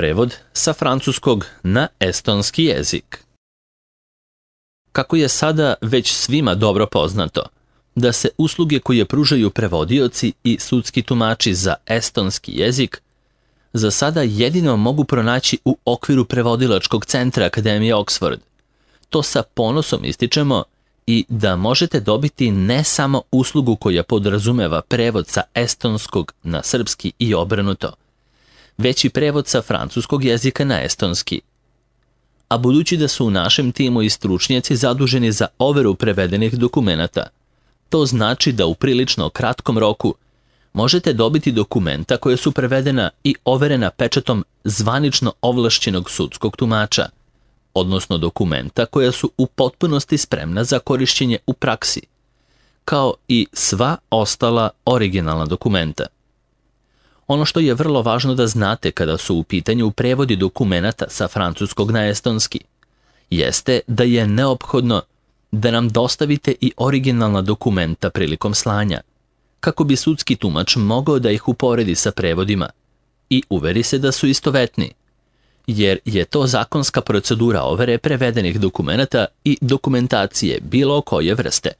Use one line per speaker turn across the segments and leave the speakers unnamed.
Prevod sa francuskog na estonski jezik. Kako je sada već svima dobro poznato, da se usluge koje pružaju prevodioci i sudski tumači za estonski jezik za sada jedino mogu pronaći u okviru prevodilačkog centra Akademije Oxford. To sa ponosom ističemo i da možete dobiti ne samo uslugu koja podrazumeva prevod sa estonskog na srpski i obrnuto, već i prevod sa francuskog jezika na estonski. A budući da su u našem timu i stručnjaci zaduženi za overu prevedenih dokumenata, to znači da u prilično kratkom roku možete dobiti dokumenta koja su prevedena i overena pečatom zvanično ovlašćenog sudskog tumača, odnosno dokumenta koja su u potpunosti spremna za korišćenje u praksi, kao i sva ostala originalna dokumenta. Ono što je vrlo važno da znate kada su u pitanju prevodi dokumenata sa francuskog na estonski, jeste da je neophodno da nam dostavite i originalna dokumenta prilikom slanja, kako bi sudski tumač mogao da ih uporedi sa prevodima i uveri se da su istovetni, jer je to zakonska procedura overe prevedenih dokumenata i dokumentacije bilo koje vrste.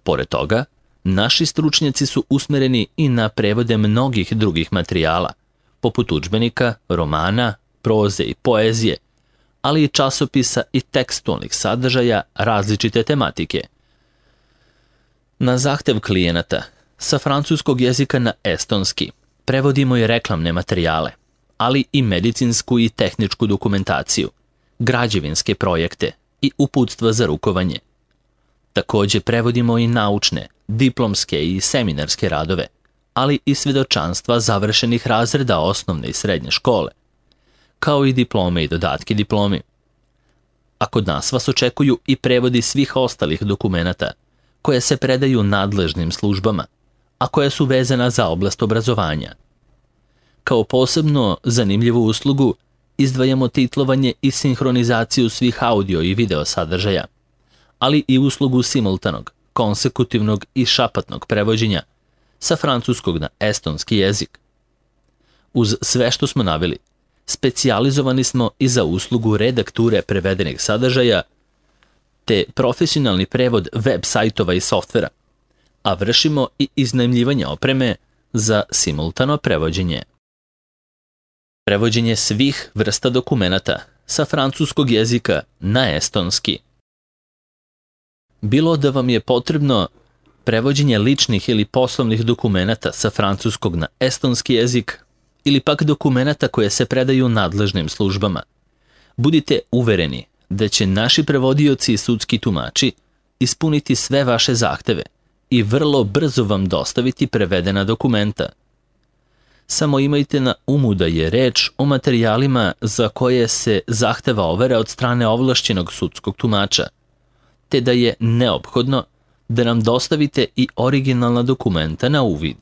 Pored toga, naši stručnjaci su usmereni i na prevode mnogih drugih materijala, poput udžbenika, romana, proze i poezije, ali i časopisa i tekstualnih sadržaja različite tematike. Na zahtev klijenata, sa francuskog jezika na estonski, prevodimo i reklamne materijale, ali i medicinsku i tehničku dokumentaciju, građevinske projekte i uputstva za rukovanje. Također prevodimo i naučne, diplomske i seminarske radove, ali i svedočanstva završenih razreda osnovne i srednje škole, kao i diplome i dodatke diplomi. A kod nas vas očekuju i prevodi svih ostalih dokumenata koje se predaju nadležnim službama, a koja su vezana za oblast obrazovanja. Kao posebno zanimljivu uslugu izdvajamo titlovanje i sinhronizaciju svih audio i video sadržaja, ali i uslugu simultanog, konsekutivnog i šapatnog prevođenja sa francuskog na estonski jezik. Uz sve što smo naveli, specijalizovani smo i za uslugu redakture prevedenih sadržaja te profesionalni prevod web sajtova i softvera, a vršimo i iznajmljivanje opreme za simultano prevođenje. Prevođenje svih vrsta dokumenata sa francuskog jezika na estonski. Bilo da vam je potrebno prevođenje ličnih ili poslovnih dokumenata sa francuskog na estonski jezik ili pak dokumenata koje se predaju nadležnim službama, budite uvereni da će naši prevodioci i sudski tumači ispuniti sve vaše zahteve i vrlo brzo vam dostaviti prevedena dokumenta. Samo imajte na umu da je reč o materijalima za koje se zahteva overa od strane ovlašćenog sudskog tumača, te da je neophodno da nam dostavite i originalna dokumenta na uvid.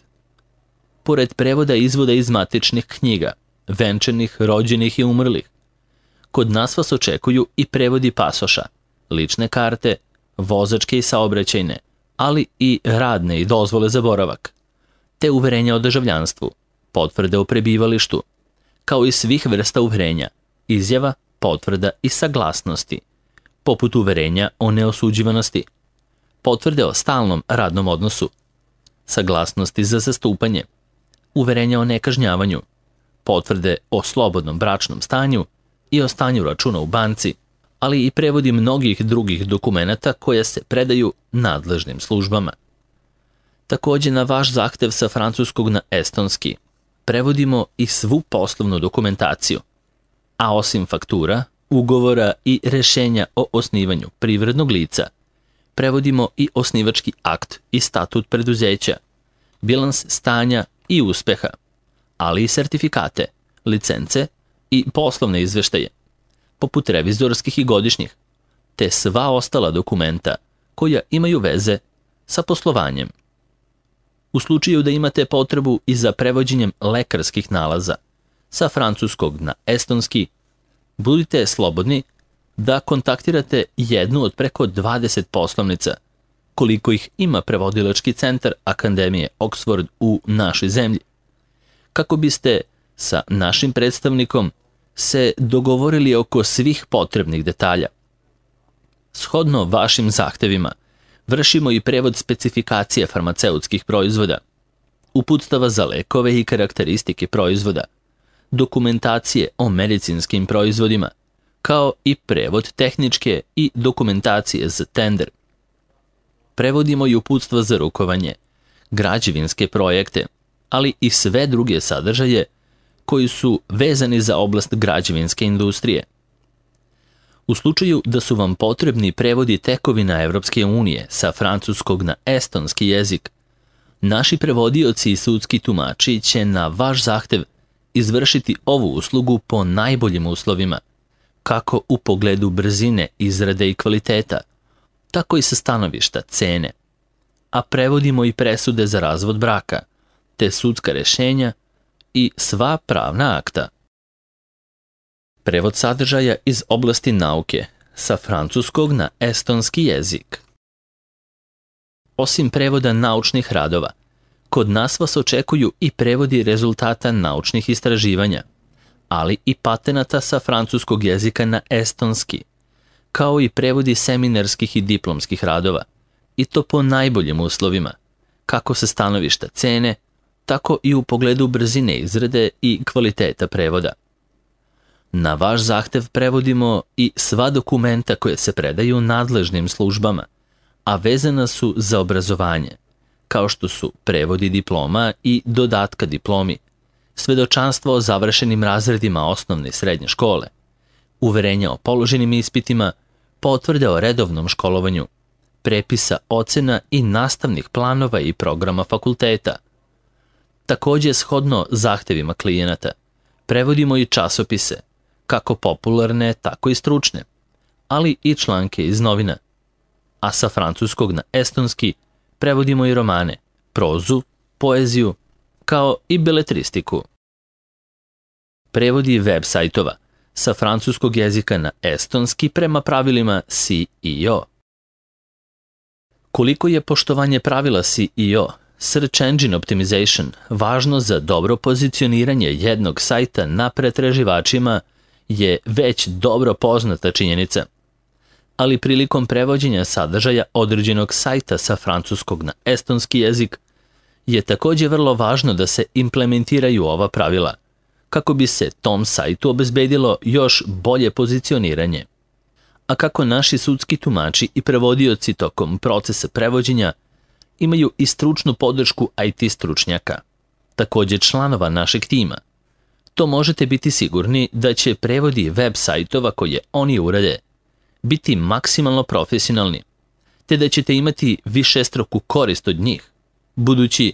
Pored prevoda izvoda iz matičnih knjiga, venčanih, rođenih i umrlih, kod nas vas očekuju i prevodi pasoša, lične karte, vozačke i saobraćajne, ali i radne i dozvole za boravak, te uverenja o državljanstvu, potvrde o prebivalištu, kao i svih vrsta uverenja, izjava, potvrda i saglasnosti, poput uverenja o neosuđivanosti, potvrde o stalnom radnom odnosu, saglasnosti za zastupanje, uverenja o nekažnjavanju, potvrde o slobodnom bračnom stanju i o stanju računa u banci, ali i prevodi mnogih drugih dokumenata koje se predaju nadležnim službama. Također na vaš zahtev sa francuskog na estonski prevodimo i svu poslovnu dokumentaciju, a osim faktura, ugovora i rešenja o osnivanju privrednog lica, prevodimo i osnivački akt i statut preduzeća, bilans stanja i uspeha, ali i sertifikate, licence i poslovne izveštaje, poput revizorskih i godišnjih, te sva ostala dokumenta koja imaju veze sa poslovanjem. U slučaju da imate potrebu i za prevođenjem lekarskih nalaza sa francuskog na estonski, budite slobodni da kontaktirate jednu od preko 20 poslovnica, koliko ih ima prevodilački centar Akademije Oxford u našoj zemlji, kako biste sa našim predstavnikom se dogovorili oko svih potrebnih detalja. Shodno vašim zahtevima, vršimo i prevod specifikacije farmaceutskih proizvoda, uputstava za lekove i karakteristike proizvoda, dokumentacije o medicinskim proizvodima, kao i prevod tehničke i dokumentacije za tender. Prevodimo i uputstva za rukovanje, građevinske projekte, ali i sve druge sadržaje koji su vezani za oblast građevinske industrije. U slučaju da su vam potrebni prevodi tekovina Evropske unije sa francuskog na estonski jezik, naši prevodioci i sudski tumači će na vaš zahtev izvršiti ovu uslugu po najboljim uslovima, kako u pogledu brzine, izrade i kvaliteta, tako i sa stanovišta cene. A prevodimo i presude za razvod braka, te sudska rješenja i sva pravna akta. Prevod sadržaja iz oblasti nauke sa francuskog na estonski jezik. Osim prevoda naučnih radova, kod nas vas očekuju i prevodi rezultata naučnih istraživanja, ali i patenata sa francuskog jezika na estonski, kao i prevodi seminarskih i diplomskih radova, i to po najboljim uslovima, kako sa stanovišta cene, tako i u pogledu brzine izrade i kvaliteta prevoda. Na vaš zahtev prevodimo i sva dokumenta koje se predaju nadležnim službama, a vezana su za obrazovanje, kao što su prevodi diploma i dodatka diplomi, svedočanstvo o završenim razredima osnovne i srednje škole, uverenja o položenim ispitima, potvrde o redovnom školovanju, prepisa ocena i nastavnih planova i programa fakulteta. Također, shodno zahtevima klijenata, prevodimo i časopise, kako popularne, tako i stručne, ali i članke iz novina. A sa francuskog na estonski prevodimo i romane, prozu, poeziju, kao i beletristiku. Prevodi web sajtova sa francuskog jezika na estonski prema pravilima SEO. Koliko je poštovanje pravila SEO, Search Engine Optimization, važno za dobro pozicioniranje jednog sajta na pretraživačima je već dobro poznata činjenica. Ali prilikom prevođenja sadržaja određenog sajta sa francuskog na estonski jezik je također vrlo važno da se implementiraju ova pravila, kako bi se tom sajtu obezbedilo još bolje pozicioniranje. A kako naši sudski tumači i prevodioci tokom procesa prevođenja imaju i stručnu podršku IT stručnjaka, također članova našeg tima, to možete biti sigurni da će prevodi web sajtova koje oni urade biti maksimalno profesionalni, te da ćete imati višestruku korist od njih, budući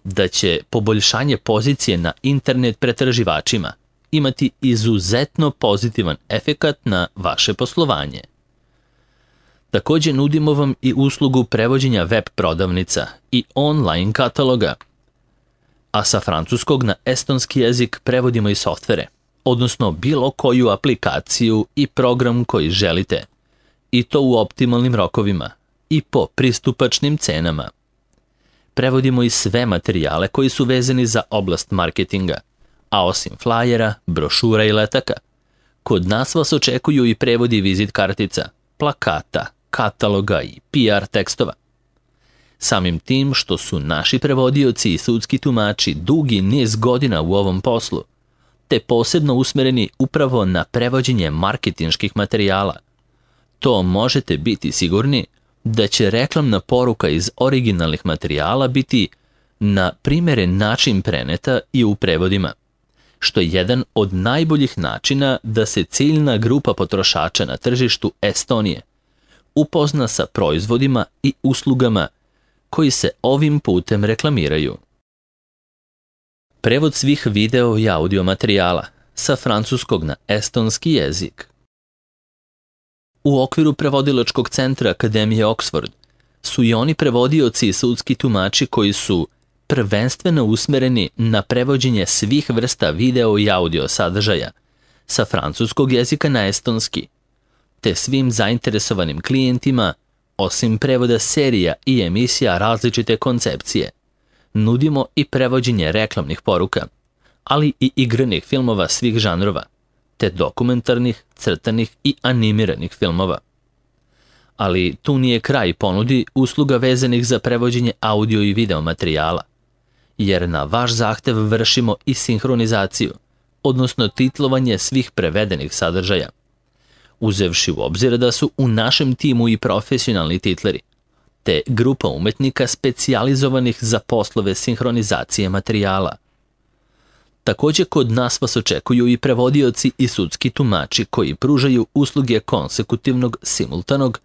da će poboljšanje pozicije na internet pretraživačima imati izuzetno pozitivan efekat na vaše poslovanje. Također nudimo vam i uslugu prevođenja web prodavnica i online kataloga, a sa francuskog na estonski jezik prevodimo i softvere, odnosno bilo koju aplikaciju i program koji želite, i to u optimalnim rokovima i po pristupačnim cenama. Prevodimo i sve materijale koji su vezani za oblast marketinga, a osim flajera, brošura i letaka, kod nas vas očekuju i prevodi vizit kartica, plakata, kataloga i PR tekstova. Samim tim što su naši prevodioci i sudski tumači dugi niz godina u ovom poslu, te posebno usmereni upravo na prevođenje marketinških materijala, to možete biti sigurni da će reklamna poruka iz originalnih materijala biti na primjeren način preneta i u prevodima, što je jedan od najboljih načina da se ciljna grupa potrošača na tržištu Estonije upozna sa proizvodima i uslugama koji se ovim putem reklamiraju. Prevod svih video i audio materijala sa francuskog na estonski jezik. U okviru prevodilačkog centra Akademije Oxford su i oni prevodioci i sudski tumači koji su prvenstveno usmereni na prevođenje svih vrsta video i audio sadržaja sa francuskog jezika na estonski, te svim zainteresovanim klijentima, osim prevoda serija i emisija različite koncepcije, nudimo i prevođenje reklamnih poruka, ali i igranih filmova svih žanrova, te dokumentarnih, crtanih i animiranih filmova. Ali tu nije kraj ponudi usluga vezanih za prevođenje audio i video materijala, jer na vaš zahtev vršimo i sinhronizaciju, odnosno titlovanje svih prevedenih sadržaja, uzevši u obzir da su u našem timu i profesionalni titleri, te grupa umetnika specijalizovanih za poslove sinhronizacije materijala. Također kod nas vas očekuju i prevodioci i sudski tumači koji pružaju usluge konsekutivnog, simultanog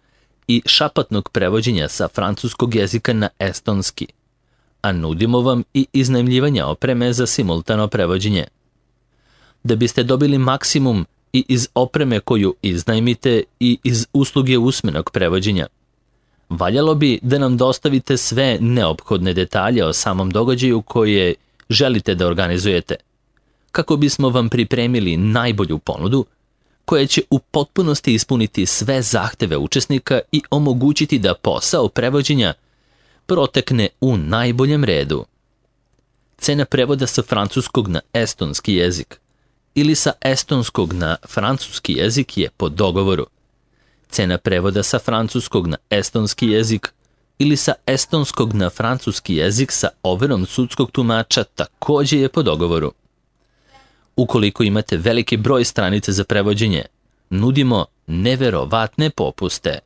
i šapatnog prevođenja sa francuskog jezika na estonski, a nudimo vam i iznajmljivanje opreme za simultano prevođenje. Da biste dobili maksimum i iz opreme koju iznajmite i iz usluge usmenog prevođenja, valjalo bi da nam dostavite sve neophodne detalje o samom događaju koje želite da organizujete, kako bismo vam pripremili najbolju ponudu koja će u potpunosti ispuniti sve zahteve učesnika i omogućiti da posao prevođenja protekne u najboljem redu. Cena prevoda sa francuskog na estonski jezik ili sa estonskog na francuski jezik je po dogovoru. Cena prevoda sa francuskog na estonski jezik ili sa estonskog na francuski jezik sa overom sudskog tumača također je po dogovoru. Ukoliko imate veliki broj stranica za prevođenje, nudimo neverovatne popuste.